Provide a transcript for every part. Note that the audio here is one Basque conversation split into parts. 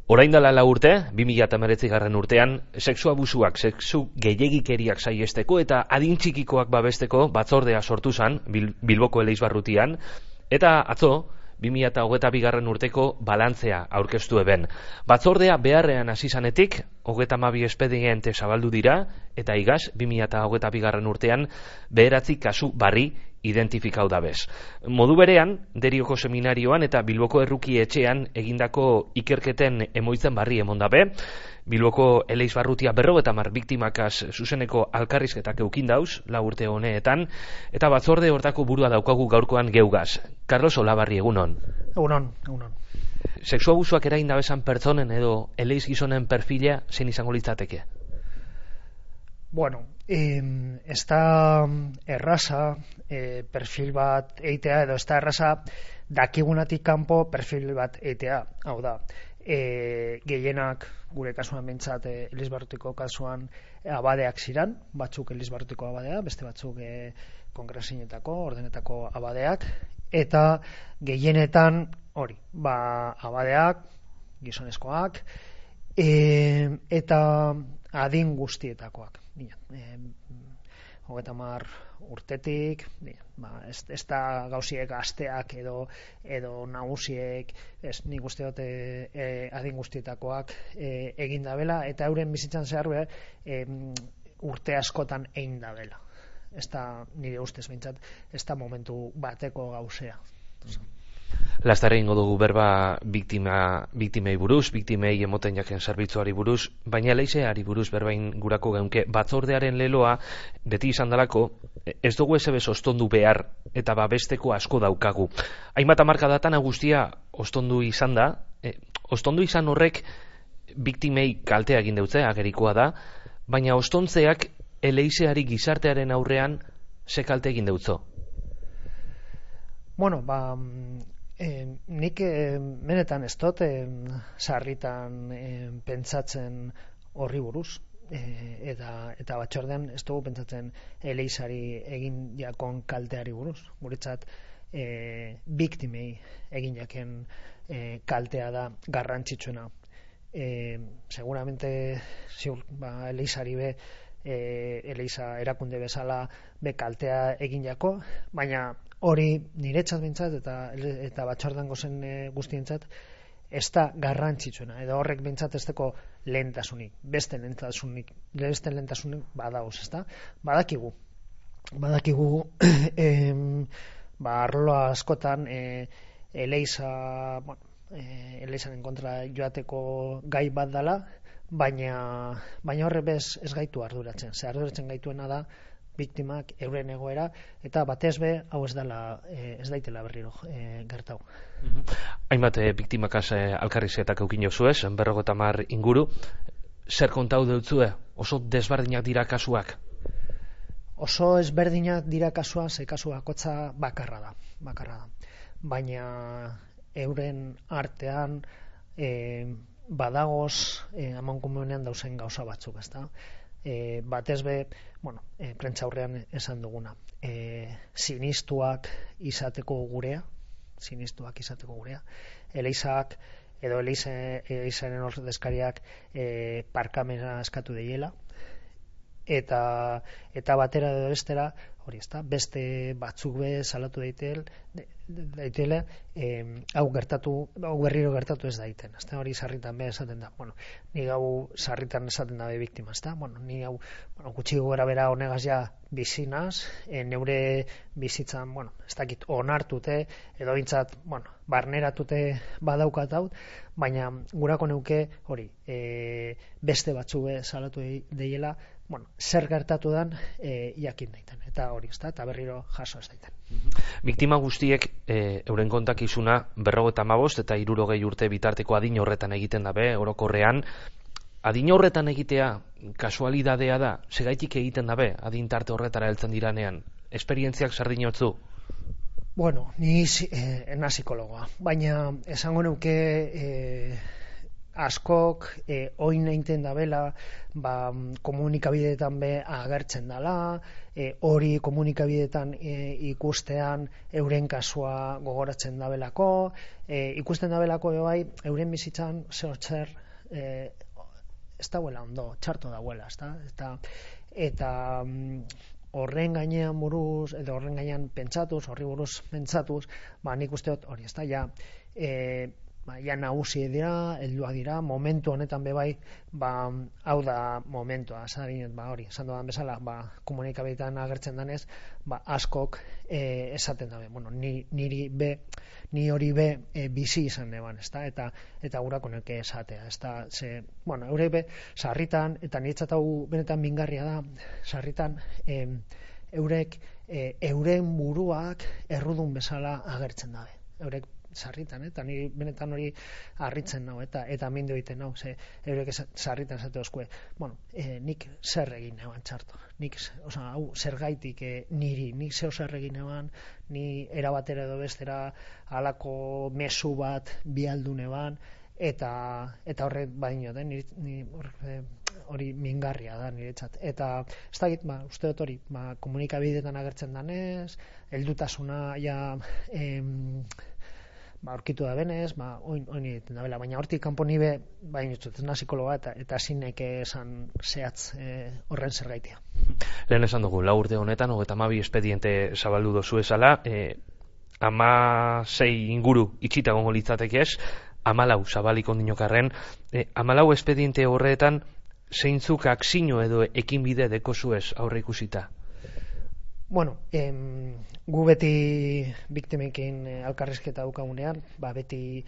Orain dela 4 urte, 2019 urtean, sexu abusuak, sexu gehiegikeriak saiesteko eta adin txikikoak babesteko batzordea sortu zen Bilboko Eleizbarrutian, eta atzo, 2022 urteko balantzea aurkeztu eben. Batzordea beharrean hasi zanetik, 32 espediente zabaldu dira, eta igaz, 2022 urtean, 9 kasu barri identifikau dabez. Modu berean, Derioko seminarioan eta Bilboko Erruki etxean egindako ikerketen emoitzen barri emon dabe, Bilboko Eleizbarrutia 50 biktimakaz zuzeneko alkarrizketak eukin dauz, 4 urte honeetan, eta batzorde hortako burua daukagu gaurkoan geugaz. Carlos Olabarri, egunon. Egunon. Sexu abusuak erain dabezan pertsonen edo eleiz gizonen perfila zein izango litzateke? Bueno, ez da erraza perfil bat eitea, edo ez da erraza dakigunatik kanpo perfil bat eitea. Hau da, gehienak gure kasuan behintzat Elizbarrutiko kasuan abadeak ziran, batzuk Elizbarrutiko abadea, beste batzuk kongresinetako, ordenetako abadeak, eta gehienetan hori, abadeak, gizonezkoak, eta adin guztietakoak. 30 urtetik, ez da gauziek gazteak edo nagusiek, nik uste dut adin guztietakoak egin dabela, eta euren bizitzan zehar urte askotan egin dabela. Ez da, nire ustez behintzat, ez da momentu bateko gauzea. Lastare ingo dugu berba biktimei buruz, biktimei emoten jaken zerbitzuari buruz, baina leizeari buruz berbain gurako geunke batzordearen leloa beti izan dalako, ez dugu ezebez ostondu behar eta babesteko asko daukagu. Hainbat hamarkadatan guztia ostondu izan da, ostondu izan horrek biktimei kaltea egin deutze, agerikoa da, baina ostontzeak eleizeari gizartearen aurrean ze kalte egin deutzo? Bueno, nik benetan ez dut sarritan pentsatzen horri buruz, eta batzordean ez dugu pentsatzen eleizari egin jakon kalteari buruz. Guretzat biktimei egin jaken kaltea da garrantzitsuena. Seguramente ziur, eleizari be eleiza erakunde bezala be kaltea egin jako, baina hori niretzat bintzat eta batzordan gozen guztientzat ez da garrantzitsuena, edo horrek bintzat ez deko lehentasunik, beste lehentasunik badauz, ez da? Badakigu arlo askotan eleizaren kontra joateko gai bat dela, baina horre bez ez gaitu arduratzen. Arduratzen gaituena da biktimak euren egoera, eta batez be, hau ez daitela berriro gertau. Hainbat biktimakaz alkarrizketak eukin jozuez, 50 inguru, zer kontau deutzue? Oso desberdinak dira kasuak? Oso ezberdinak dira kasuak, ze kasu bakotza bakarra da. Baina euren artean badagoz amankomunean dauzen gauza batzuk, ezta? Batez be, prentsaurrean esan duguna, sinistuak izateko gurea, eleizak edo eleizaren ordezkariak parkamena eskatu deiela, eta batera edo bestera, hori ezta, beste batzuk be salatu daitele, hau berriro gertatu ez daiten, ezta, hori sarritan be esaten da. Ni hau sarritan esaten da be biktima, ezta. Ni hau gutxi gora bera honegaz ja bizinaz, neure bizitzan, ez dakit onartute edo bintzat, barneratute badaukat hau, baina gurako neuke hori, beste batzuk be salatu deiela, zer gertatu dan jakin daiten, eta hori ezta, eta berriro jaso ez daiten. Biktima guztiek euren kontakizuna 55 eta 60 urte bitarteko adin horretan egiten dabe, orokorrean. Adin horretan egitea kasualidadea da, segaitik egiten dabe adin tarte horretara heltzen diranean? Esperientziak zer dinotzu? Ni ena psikologoa, baina esango nuke askok oin einten dabela komunikabideetan be agertzen dela, hori komunikabideetan ikustean euren kasua gogoratzen dabelako, ikusten dabelako bai euren bizitzan zer ez dauela ondo, txarto dauela, eta horren gainean buruz, edo horren gainean pentsatuz, horri buruz pentsatuz, nik uste dut hori, ja nagusi dira, helduak dira, momentu honetan bebai, hau da momentua, hori, esan dudan bezala, komunikabideetan agertzen danez, askok esaten dabe, ni hori be bizi izan neban, eta gurako neke esatea, eurek be, sarritan, eta niretzat hau benetan mingarria da, sarritan, eurek euren buruak errudun bezala agertzen dabe, eurek sarritan, eta ni benetan hori harritzen nau, eta mindu egiten nau, eurek sarritan esate oskue, nik zer egin neban txarto, hau zergaitik nik zer egin neban, ni erabatera edo bestera halako mezu bat bialdu neban, eta horrek badino den, hori mingarria da niretzat, eta ez dakit, uste dut hori, komunikabideetan agertzen danez, heldutasuna ja aurkitu da benez, oin egiten da bela, baina hortik kanpo nibe, ez na psikologa eta zinek esan zehatz horren zergaitia. Lehen esan dugu, 4 urte honetan, 32 espediente zabaldu dozu ezala, 16 inguru itxita gongo litzateke ez, 14 zabaliko dinokarren, 14 espediente horretan, zeintzuk akzino edo ekinbide dekozuez aurre ikusita? Gu beti biktimekin elkarrizketa daukagunean, beti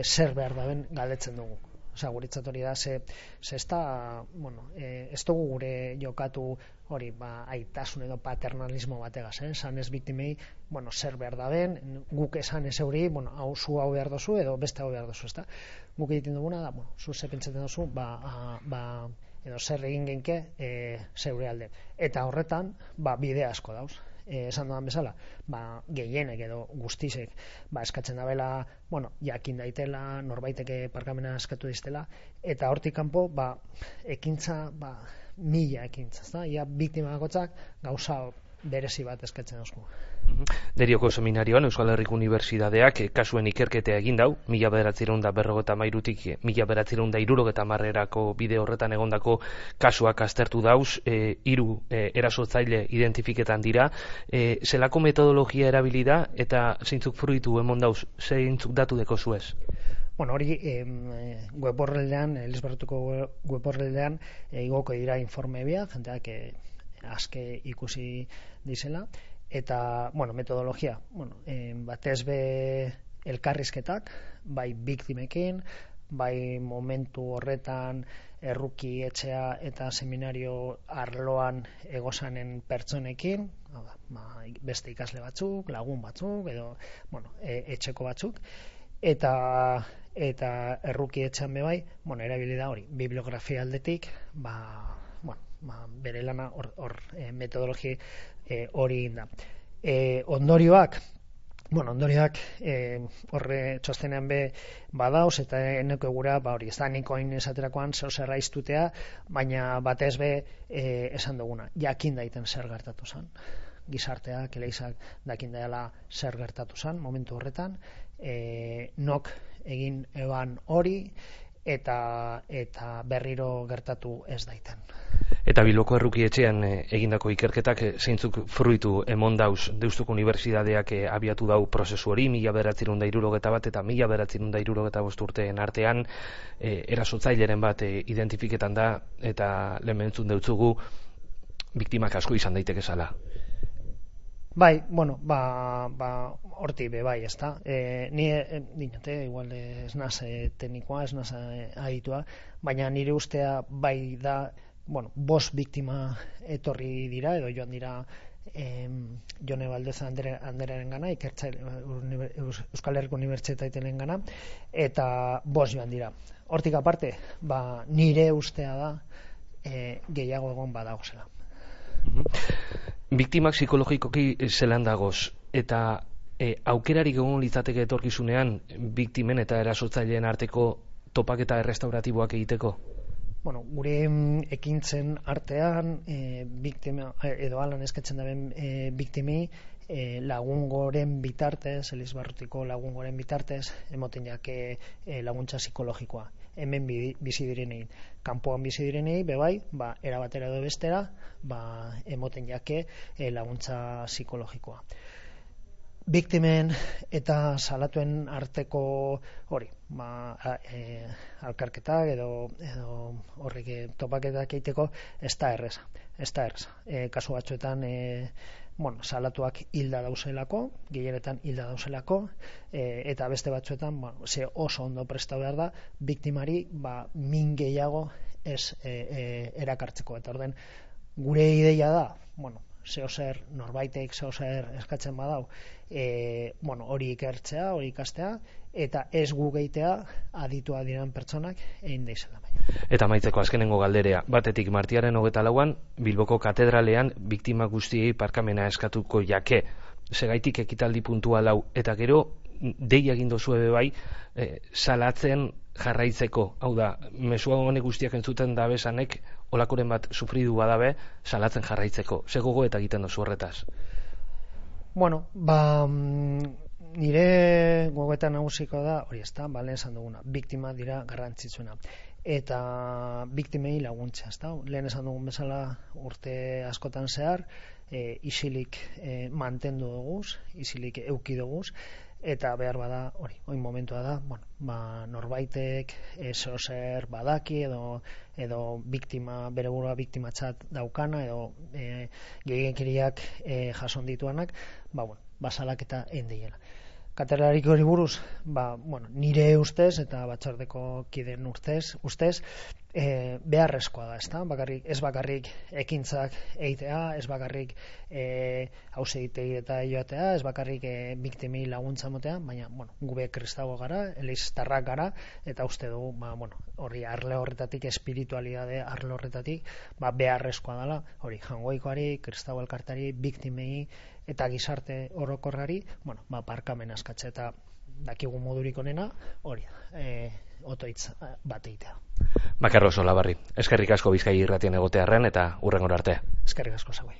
zer behar daben galdetzen dugu. Guretzat hori da, ez dugu gure jokatu hori, aitasun edo paternalismo bategaz, esan ez biktimei, zer behar daben, guk esan ez euri, zu hau behar dozu edo beste hau behar dozu, ezta? Guk egiten duguna da, zu ze pentsatzen dozu, edo zer egin genke zeure alde. Eta horretan, bide asko dauz. Esan dudan bezala, gehienek edo guztizek eskatzen dabela, jakin daitela, norbaiteke parkamena eskatu diztela, eta hortik kanpo, ekintza, 1000 ekintza, ia biktima bakotzak gauza berezi bat eskatzen dauzku. Derioko seminarioan Euskal Herriko Unibertsitateak kasuen ikerketea egin dau, 1953tik 1970erako bide horretan egondako kasuak aztertu dauz, 3 erasotzaile identifiketan dira, zelako metodologia erabili da eta zeintzuk fruitu emon dauz, zeintzuk datu deko zuez? Hori web horreldean, Elizbarrutuko web horreldean igoko dira informe bia, jenteak aske ikusi dizela, eta, metodologia, batez be elkarrizketak, bai biktimekin, bai momentu horretan erruki etxea eta seminario arloan egosanen pertsonekin, beste ikasle batzuk, lagun batzuk, edo, etxeko batzuk, eta erruki etxean bebai, erabili da hori, bibliografia aldetik, bere lana hor metodologi hori da. Ondorioak horre txostenean be badauz, eta eneko egura, hori, ez da nikoin esaterakoan zer raiztutea, baina batez be esan duguna, jakin daiten zer gertatu zen. Gizarteak, eleizak dakin daela zer gertatu zen, momentu horretan, nok egin eban hori, eta berriro gertatu ez daiten. Eta Bilboko erruki etxean egindako ikerketak zeintzuk fruitu emon dauz Deustuko Unibertsitateak abiatu dau prozesu hori, 1971 eta 1975 urteen artean erasotzaileren bat identifiketan da, eta lehen entzun deutzugu biktimak asko izan daiteke zala. Bai, horti be bai, ezta. Ni dinote, igual ez naz teknikoa, ez naz aditua, baina nire ustea bai da, 5 biktima etorri dira, edo joan dira Jone Baldez anderaren gana, Euskal Herriko Unibertsitatearen gana, eta 5 joan dira. Hortik aparte, nire ustea da gehiago egon badagozela. Biktimak psikologikoki zelan dagoz, eta aukerarik egon litzateke etorkizunean biktimen eta erasotzaileen arteko topaketa errestauratiboak egiteko? Bueno, gure ekintzen artean biktima edo alan eskatzen daben biktimei lagungoren bitartez, Elizbarrutiko lagungoren bitartez, emoten jake laguntza psikologikoa. Hemen bizi direnei, kanpoan bizi direnei, bebai, erabatera edo bestera, emoten jake laguntza psikologikoa. Biktimen eta salatuen arteko hori, alkarketak edo horrek topaketak egiteko ez da erreza. Kasu batzuetan salatuak hilda dauzelako, gehienetan hilda dauzelako, eta beste batzuetan ze oso ondo prestatu behar da biktimari min gehiago ez erakartzeko. Eta orden gure ideia da, norbaitek zeozer eskatzen badau, hori ikertzea, hori ikastea, eta ez gu gehitea aditua diren pertsonak egin deizela. Eta amaitzeko azkenengo galderea, batetik martiaren 24an Bilboko katedralean biktima guztiei parkamena eskatuko jake, segaitik ekitaldi puntual hau, eta gero dei egin dozue bai salatzen jarraitzeko, hau da, mesua honek guztiak entzuten dabesanek olakoren bat sufridu badabe salatzen jarraitzeko, ze gogo eta egiten dozu horretaz? Bueno, nire gogoetan nagusiko da, hori ez da, lehen esan duguna, biktima dira garrantzitsuena. Eta biktimei laguntza, ez da? Lehen esan dugun bezala urte askotan zehar, isilik mantendu duguz, isilik euki duguz, eta behar bada, hori, oin momentua da, norbaitek zeozer badaki edo biktima, bere burua biktimatzat daukana edo gehiagikeriak jason dituanak, salaketa endeiela. Katedraliko hori buruz, nire ustez eta batzordeko kideen ustez, beharrezkoa da, ez bakarrik ekintzak egitea, ez bakarrik hausegitegi eta joatea, ez bakarrik biktimei laguntza motea, baina gube kristago gara, eliztarrak gara, eta uste dugu, hori arle horretatik, espiritualidade arle horretatik, beharrezkoa dela, hori jangoikoari, kristago elkartari, biktimei eta gizarte orokorrari, parkamen askatze eta dakigu modurik onena, hori otoitz bat egitea. Bakarro Solabarri, eskerrik asko Bizkaia irratien egotearren eta hurrengora arte. Eskerrik asko zauei.